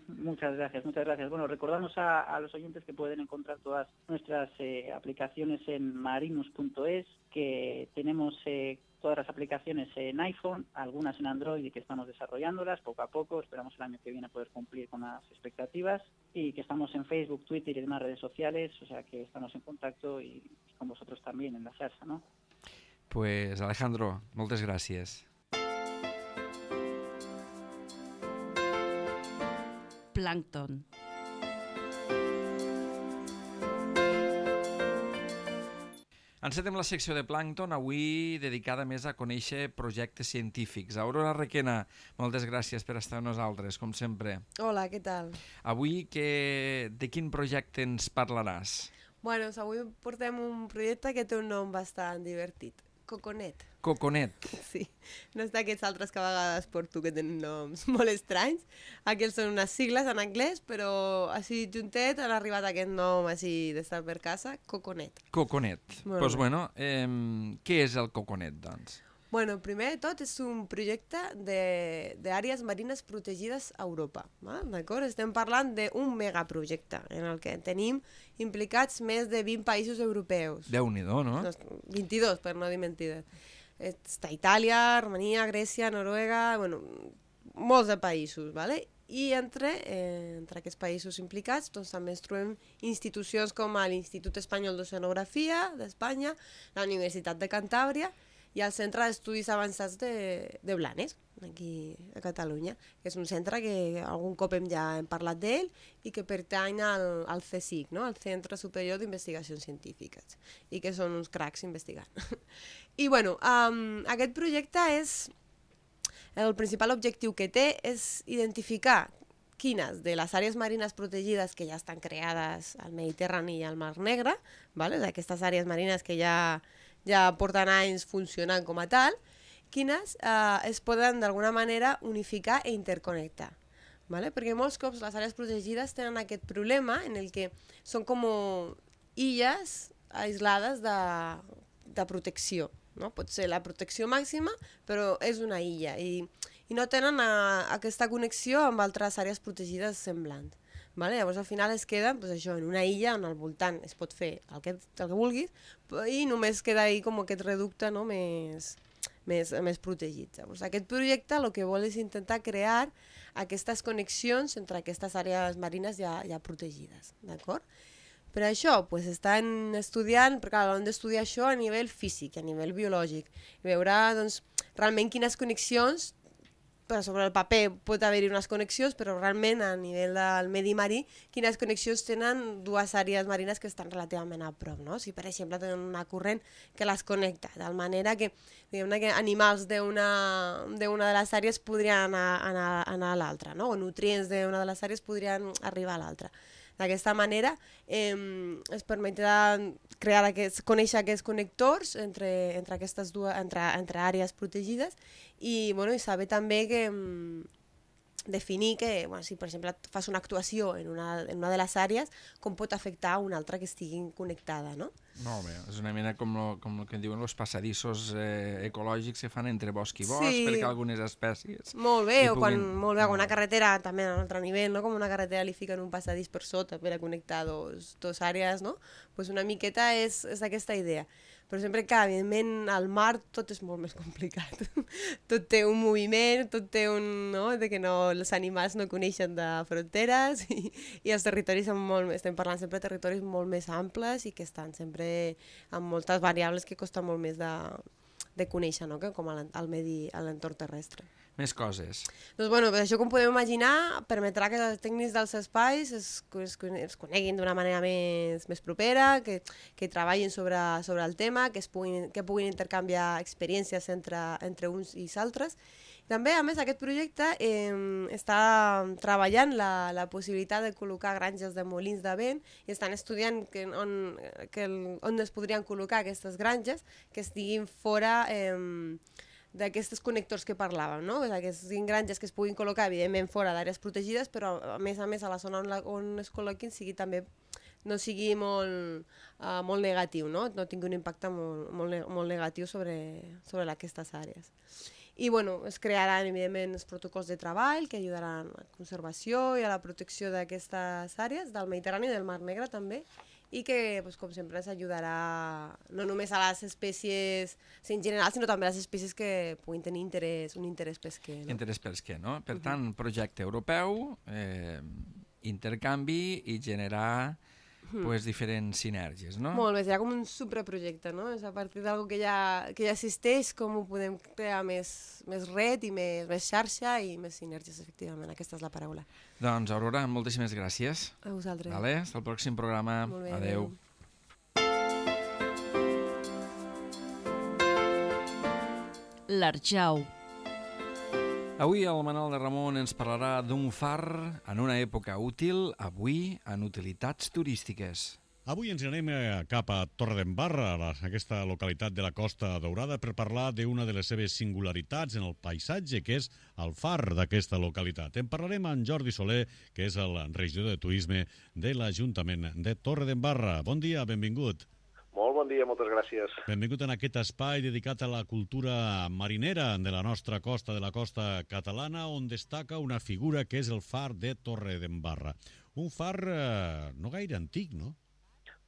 Muchas gracias, muchas gracias. Bueno, recordamos a, a los oyentes que pueden encontrar todas nuestras eh, aplicaciones en marinus punto es, que tenemos eh, todas las aplicaciones en iPhone, algunas en Android y que estamos desarrollándolas poco a poco, esperamos el año que viene poder cumplir con las expectativas y que estamos en Facebook, Twitter y demás redes sociales, o sea que estamos en contacto y, y con vosotros también en la xarxa, ¿no? Pues Alejandro, moltes gràcies. Plàncton. Encetem la secció de Plàncton, avui dedicada més a conèixer projectes científics. Aurora Requena, moltes gràcies per estar amb nosaltres, com sempre. Hola, què tal? Avui que... de quin projecte ens parlaràs? Bueno, avui portem un projecte que té un nom bastant divertit. Coconet. Coconet. Sí, no és d'aquests altres que a vegades porto que tenen noms molt estranys. Aquests són unes sigles en anglès, però així juntet han arribat a aquest nom així d'estar per casa, Coconet. Coconet. Doncs pues bueno, eh, què és el Coconet, doncs? Bueno, primer de tot és un projecte d'àrees marines protegides a Europa. D'acord? Estem parlant d'un megaprojecte en el que tenim implicats més de vint països europeus. Déu-n'hi-do, no? vint-i-dos, per no dir mentides. Està Itàlia, Romania, Grècia, Noruega, bueno, molts de països, ¿vale? I entre, eh, entre aquests països implicats doncs, també ens trobem institucions com l'Institut Espanyol d'Oceanografia d'Espanya, la Universitat de Cantàbria i el Centre d'Estudis Avançats de, de Blanes, aquí a Catalunya, que és un centre que algun cop hem ja hem parlat d'ell i que pertany al, al C S I C, no? Al Centre Superior d'Investigacions Científiques, i que són uns cracs investigant. I bueno, um, aquest projecte és... El principal objectiu que té és identificar quines de les àrees marines protegides que ja estan creades al Mediterrani i al Mar Negre, ¿vale? Aquestes àrees marines que ja... ja porten anys funcionant com a tal, quines eh, es poden d'alguna manera unificar i interconnectar. ¿Vale? Perquè molts cops les àrees protegides tenen aquest problema en el que són com illes aislades de, de protecció. No? Pot ser la protecció màxima, però és una illa i, i no tenen a, aquesta connexió amb altres àrees protegides semblants. Vale? Llavors al final es queda pues, això, en una illa on al voltant es pot fer el que, el que vulguis i només queda ahí com aquest reducte, no? més, més, més protegit. Llavors, aquest projecte el que vol és intentar crear aquestes connexions entre aquestes àrees marines ja, ja protegides. D'acord? Per això pues, estan estudiant, perquè clar, han d'estudiar això a nivell físic, a nivell biològic, i veure doncs, realment quines connexions, sobre el paper pot haver-hi unes connexions, però realment a nivell del medi marí, quines connexions tenen dues àrees marines que estan relativament a prop, no? Si per exemple tenen una corrent que les connecta, de manera que, diguem-ne, que animals d'una d'una de les àrees podrien anar, anar, anar a l'altra, no? O nutrients d'una de les àrees podrien arribar a l'altra. D'aquesta manera eh, es permetrà crear aquests, conèixer aquests connectors entre, entre aquestes dues entre, entre àrees protegides i, bueno, i saber també que mm, definir que, bueno, si per exemple fas una actuació en una, en una de les àrees, com pot afectar a una altra que estigui connectada, no? Molt bé, és una mena com el com lo que diuen els passadissos eh, ecològics que fan entre bosc i bosc, sí, perquè algunes espècies... Molt bé, o puguin... quan molt bé, una carretera també a un altre nivell, no? Com una carretera li fiquen un passadís per sota per a connectar dos, dos àrees, no? Pues una miqueta és, és aquesta idea. Però sempre que, evidentment, al mar tot és molt més complicat. Tot té un moviment, tot té un... No? De que no, els animals no coneixen de fronteres i, i els territoris són molt... Estem parlant sempre de territoris molt més amples i que estan sempre amb moltes variables que costa molt més de, de conèixer, no? Que com al medi, a l'entorn terrestre. Més coses. Doncs, bueno, això, com podem imaginar, permetrà que els tècnics dels espais es, es, es coneguin d'una manera més, més propera, que, que treballin sobre, sobre el tema, que, es puguin, que puguin intercanviar experiències entre, entre uns i altres. També, a més, aquest projecte eh, està treballant la, la possibilitat de col·locar granges de molins de vent i estan estudiant que, on, que el, on es podrien col·locar aquestes granges que estiguin fora... Eh, d'aquests connectors que parlàvem, no? Aquestes granges que es puguin col·locar, evidentment, fora d'àrees protegides, però a més a més a la zona on, la, on es col·loquin sigui també, no sigui molt, uh, molt negatiu, no? No tingui un impacte molt, molt, molt negatiu sobre, sobre aquestes àrees. I bueno, es crearan, evidentment, els protocols de treball que ajudaran a la conservació i a la protecció d'aquestes àrees, del Mediterrani i del Mar Negre també, i que, pues, com sempre, ens ajudarà no només a les espècies en general, sinó també a les espècies que puguin tenir interès, un interès pesquer. No? Interès pesquer, no? Per tant, projecte europeu, eh, intercanvi i generar pues, diferents sinergies, no? Molt bé, serà com un supraprojecte, no? És a partir d'algo que ja, que ja existeix, com ho podem crear més, més red i més, més xarxa i més sinergies, efectivament. Aquesta és la paraula. Doncs, Aurora, moltíssimes gràcies. A vosaltres. Vale? Fins al pròxim programa. Molt bé, adeu. adeu. L'Arjau. Avui el Manol de Ramon ens parlarà d'un far en una època útil, avui en utilitats turístiques. Avui ens anem cap a Torredembarra, aquesta localitat de la Costa Daurada, per parlar d'una de les seves singularitats en el paisatge, que és el far d'aquesta localitat. En parlarem amb Jordi Soler, que és el regidor de turisme de l'Ajuntament de Torredembarra. Bon dia, benvingut. Molt bon dia, moltes gràcies. Benvingut en aquest espai dedicat a la cultura marinera de la nostra costa, de la costa catalana, on destaca una figura que és el far de Torredembarra. Un far eh, no gaire antic, no?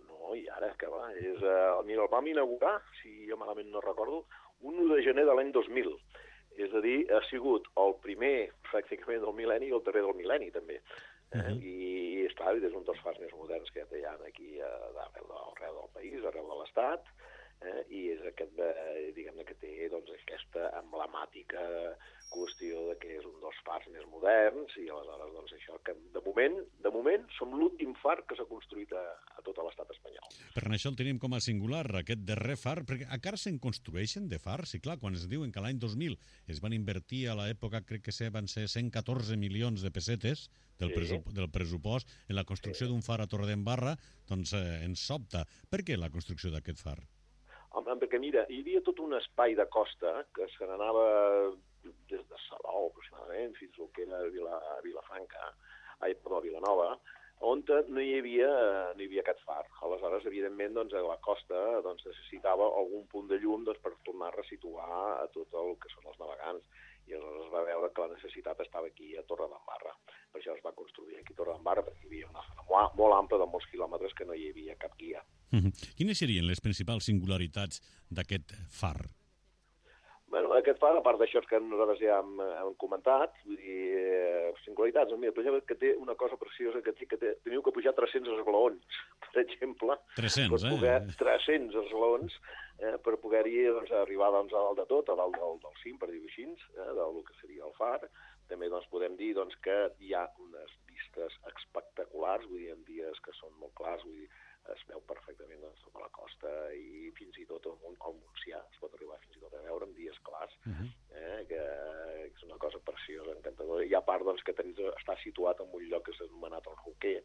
No, i ara, que va, és, eh, mira, el vam inaugurar, si jo malament no recordo, un u de gener de l'any dos mil. És a dir, ha sigut el primer, pràcticament, del mil·lenni i el darrer del mil·lenni, també. Eh? Uh-huh. I, és clar, és un dels fars més moderns que hi ha aquí eh, arreu, de, arreu del país, arreu de l'Estat, eh? I és aquest, eh, diguem-ne, que té doncs, aquesta emblemàtica qüestió de que és un dels fars més moderns i aleshores, doncs, això que de moment, de moment som l'últim far que s'ha construït a, a tot l'estat espanyol. Per això el tenim com a singular, aquest darrer far, perquè encara se'n construeixen de fars, i clar, quan es diuen que l'any dos mil es van invertir a l'època, crec que van ser cent catorze milions de pessetes del, sí. pressup del pressupost en la construcció sí. d'un far a Torredembarra, doncs eh, ens sobta. Per què la construcció d'aquest far? Home, perquè mira, hi havia tot un espai de costa que se n'anava des de Salou, aproximadament, fins al que era Vila, Vilafranca, ai, perdó, Vilanova, on no hi havia, no hi havia aquest far. Aleshores, evidentment, doncs, a la costa doncs, necessitava algun punt de llum doncs, per tornar a resituar a tot el que són els navegants. I aleshores es va veure que la necessitat estava aquí a Torredembarra. Per això es va construir aquí a Torredembarra, perquè hi havia una zona molt ampla de molts quilòmetres que no hi havia cap guia. Mm-hmm. Quines serien les principals singularitats d'aquest far? Bueno, aquest far, a part d'això que nosaltres ja hem, hem comentat, vull dir, eh, singularitats, mira, per exemple, que té una cosa preciosa, que, té, que té, teniu que pujar tres-cents esglaons, per exemple. tres-cents, per poder, eh? tres-cents esglaons, eh, per poder-hi doncs, arribar doncs, a dalt de tot, a dalt del, del cim, per dir-ho així, eh, del que seria el far. També doncs, podem dir doncs, que hi ha unes vistes espectaculars, vull dir, en dies que són molt clars, vull dir, es veu perfectament doncs, a la costa i fins i tot al Montsià, es pot arribar fins i tot a veure en dies clars, uh-huh. eh, que, que és una cosa preciosa, encantadora. I a part doncs, que tens, està situat en un lloc que s'ha anomenat el Roquer,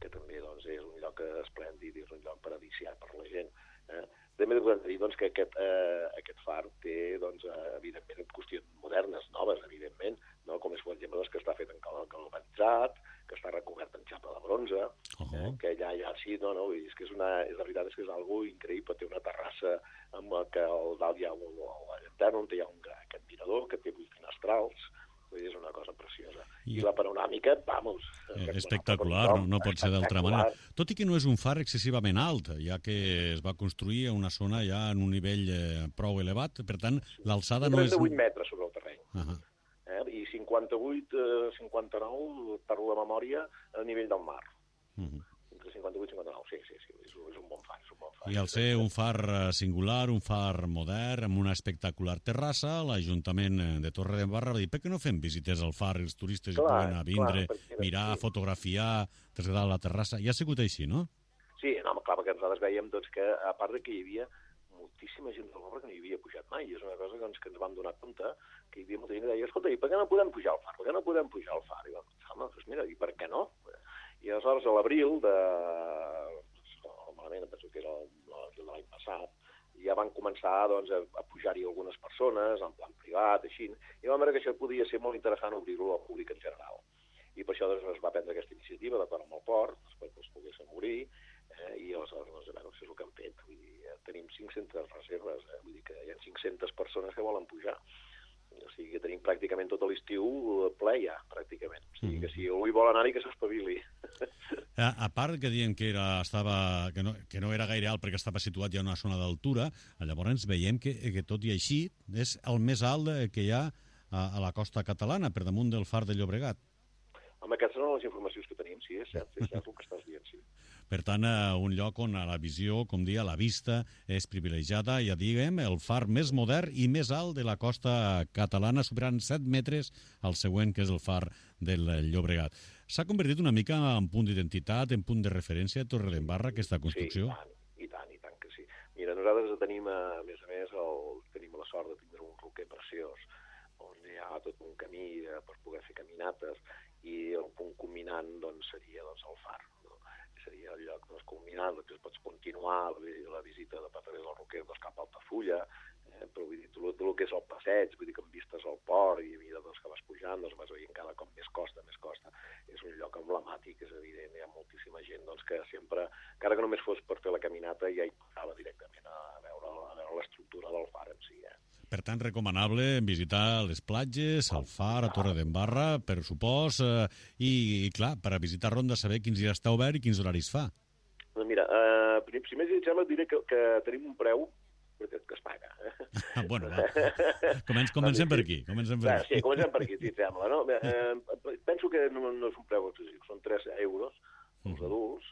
que també doncs, és un lloc esplèndid, és un lloc paradisiac per la gent. Eh? També podem dir doncs, que aquest, eh, aquest far té, doncs, eh, evidentment, qüestions modernes, noves, evidentment, no? Com és, per exemple, doncs, que està fet en galvanitzat, que està recobert en xapa de bronze, uh-huh. eh, que ja, ja sí, no, no, és que és una, és, la veritat és que és algo increïble, té una terrassa amb la que al dalt hi ha un, la llanterna, on hi ha un gran, aquest mirador, que té vuit finestrals, vull dir, és una cosa preciosa. I, I la panoràmica, vamos... Eh, espectacular, no, no pot ser d'altra manera. Tot i que no és un far excessivament alt, ja que es va construir a una zona ja en un nivell eh, prou elevat, per tant, l'alçada no és... trenta-vuit metres sobre el terreny. Uh-huh. eh, I cinquanta-vuit, cinquanta-nou, per la memòria, a nivell del mar. Uh-huh. Entre cinquanta-vuit i cinquanta-nou, sí, sí, sí, és, és un bon far, és un bon far. I al ser un far singular, un far modern, amb una espectacular terrassa, l'Ajuntament de Torredembarra va dir, per què no fem visites al far, els turistes clar, hi poden a vindre, clar, mirar, sí. fotografiar, traslladar a la terrassa, i ha sigut així, no? Sí, no, clar, perquè nosaltres veiem doncs, que, a part de que hi havia moltíssima gent del poble que no hi havia pujat mai, és una cosa doncs, que ens vam donar compte, que hi havia molta gent que deia, escolta, i per què no podem pujar al far? Per què no podem pujar al far? I vam dir, home, doncs mira, i per què no? I aleshores, a l'abril de... malament, em penso que era l'abril de l'any passat, ja van començar doncs, a pujar-hi algunes persones, en plan privat, així, i vam veure que això podia ser molt interessant obrir-ho al públic en general. I per això doncs, es va prendre aquesta iniciativa d'acord amb el port, perquè els poguessin obrir, eh, i aleshores, doncs, bueno, això és el que hem fet. Vull dir, tenim cinc-centes reserves, eh, vull dir que hi ha cinc-centes persones que volen pujar. O sigui que tenim pràcticament tot l'estiu ple ja, pràcticament. O sigui que si algú hi vol anar-hi, que s'espavili. A, a part que diem que, era, estava, que, no, que no era gaire alt perquè estava situat ja en una zona d'altura, llavors veiem que, que tot i així és el més alt que hi ha a, a la costa catalana, per damunt del far de Llobregat. Home, aquestes són les informacions que tenim, sí, és cert, és cert el que estàs dient, sí. Per tant, eh, un lloc on a la visió, com dia, la vista és privilegiada, ja diguem, el far més modern i més alt de la costa catalana, superant set metres al següent, que és el far del Llobregat. S'ha convertit una mica en punt d'identitat, en punt de referència a Torredembarra, aquesta construcció? Sí, i tant, i tant, i tant que sí. Mira, nosaltres tenim, a més a més, el, tenim la sort de tindre un roquer preciós, on hi ha tot un camí per poder fer caminates, i el punt culminant doncs, seria doncs, el far. No? Seria el lloc doncs, culminant, que pots continuar la, la visita de a través del roquer doncs, cap a Altafulla, eh, però vull dir, tot, tot el que és el passeig, vull dir que amb vistes al port i a mesura doncs, que vas pujant, doncs vas veient cada cop més costa, més costa. És un lloc emblemàtic, és evident, hi ha moltíssima gent doncs, que sempre, encara que només fos per fer la caminata, ja hi passava directament a veure, a veure l'estructura del far en si. Eh? Per tant, recomanable visitar les platges, el far, a Torredembarra, per supòs, eh, i, i clar, per a visitar Ronda saber quins dies està obert i quins horaris fa. Doncs mira, eh, primer si et sembla et diré que, que tenim un preu que, que es paga. Eh? Ah, bueno, va. Comencem, comencem per aquí. Comencem per aquí. Sí, comencem per aquí, si et sembla. No? Eh, penso que no, no és un preu excessiu, són tres euros els adults,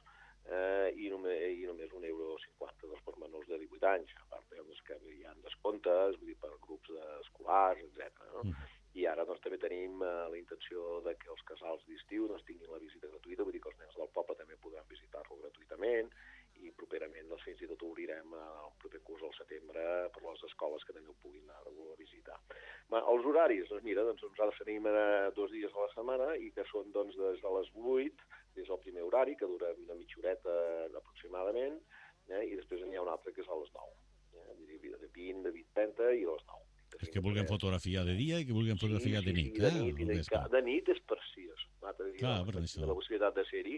eh, i, només, i només un euro cinquanta doncs, per menors de divuit anys. A part, doncs, que hi ha descomptes, vull dir, per grups escolars, etcètera. No? Mm. I ara doncs, també tenim eh, la intenció de que els casals d'estiu doncs, tinguin la visita gratuïta, vull dir que els nens del poble també podran visitar-lo gratuïtament, i properament doncs, fins i tot obrirem el proper curs al setembre per les escoles que també ho puguin anar a visitar. Bé, els horaris, doncs mira, doncs, nosaltres tenim eh, dos dies a la setmana i que són doncs, des de les vuit, des del primer horari, que dura una mitja horeta aproximadament, eh, i després n'hi ha un altre que és a les nou. Eh, de vint, de vint trenta i a les nou. És que vulguem fotografiar de dia i que vulguem fotografiar sí, de nit. Sí, de, eh? nit, de, nit, de nit és preciós. Clar, per això. La possibilitat de ser-hi,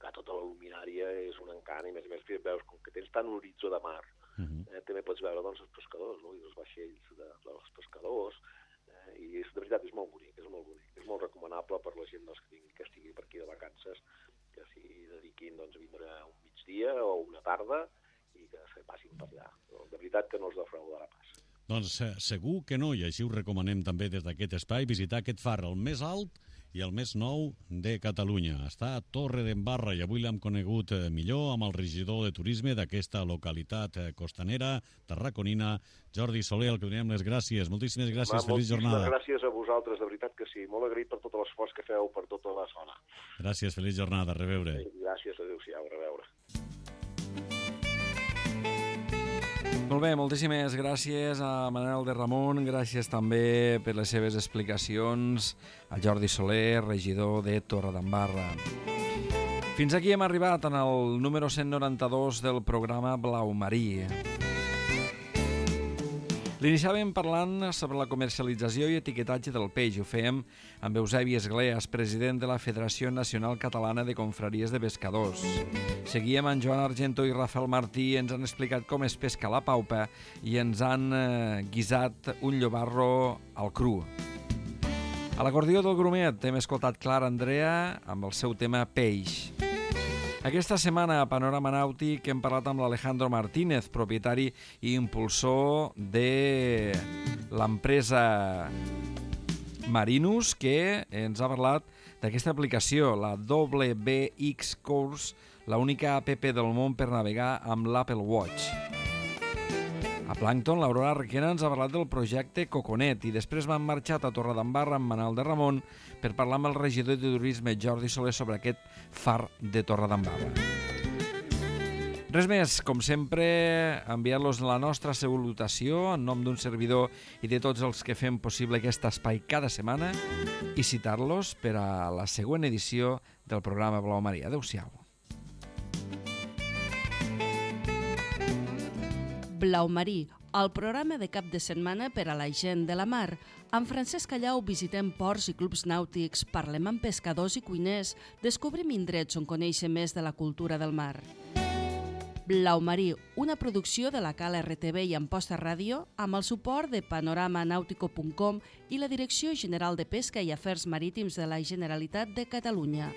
que tota la luminària és un encant, i més a més veus com que tens tant un horitzó de mar, uh -huh. eh, també pots veure doncs, els pescadors, no? I els vaixells de, dels pescadors, eh, i és, de veritat és molt bonic, és molt bonic. És molt recomanable per la gent doncs, que, tingui, que estigui per aquí de vacances, que s'hi dediquin doncs, a vindre un migdia o una tarda i que se passin per allà. De veritat que no els defraudarà pas. Doncs eh, segur que no, i així ho recomanem també des d'aquest espai, visitar aquest far, el més alt i el més nou de Catalunya. Està a Torredembarra i avui l'hem conegut eh, millor amb el regidor de turisme d'aquesta localitat eh, costanera, tarraconina, Jordi Soler, al que donem les gràcies. Moltíssimes gràcies, Va, feliç jornada. Moltíssimes gràcies a vosaltres, de veritat que sí. Molt agraït per tot l'esforç que feu per tota la zona. Gràcies, feliç jornada, a reveure. Gràcies, adéu-siau, a reveure. Molt bé, moltíssimes gràcies a Manel de Ramon, gràcies també per les seves explicacions a Jordi Soler, regidor de Torredembarra. Fins aquí hem arribat en el número cent noranta-dos del programa Blau Marí. L'iniciàvem parlant sobre la comercialització i etiquetatge del peix. Ho fèiem amb Eusebi Esgleas, president de la Federació Nacional Catalana de Confraries de Pescadors. Seguíem amb Joan Argento i Rafael Martí, ens han explicat com es pesca la paupa i ens han eh, guisat un llobarro al cru. A l'acordió del Grumet hem escoltat Clara Andrea amb el seu tema Peix. Aquesta setmana a Panorama Nàutic hem parlat amb l'Alejandro Martínez, propietari i impulsor de l'empresa Marinus, que ens ha parlat d'aquesta aplicació, la W B X Course, l'única app del món per navegar amb l'Apple Watch. A Plankton, l'Aurora Requena ens ha parlat del projecte Coconet i després m'han marxat a Torredembarra amb Manel de Ramon per parlar amb el regidor de turisme Jordi Soler sobre aquest far de Torredembarra. Res més, com sempre, enviar-los la nostra salutació en nom d'un servidor i de tots els que fem possible aquest espai cada setmana i citar-los per a la següent edició del programa Blau Marí. Adéu-siau. Blau Marí, el programa de cap de setmana per a la gent de la mar. Amb Francesc Callau visitem ports i clubs nàutics, parlem amb pescadors i cuiners, descobrim indrets on conèixer més de la cultura del mar. Blau Marí, una producció de la Cala R T V i Amposta Ràdio amb el suport de panorama nàutico punt com i la Direcció General de Pesca i Afers Marítims de la Generalitat de Catalunya.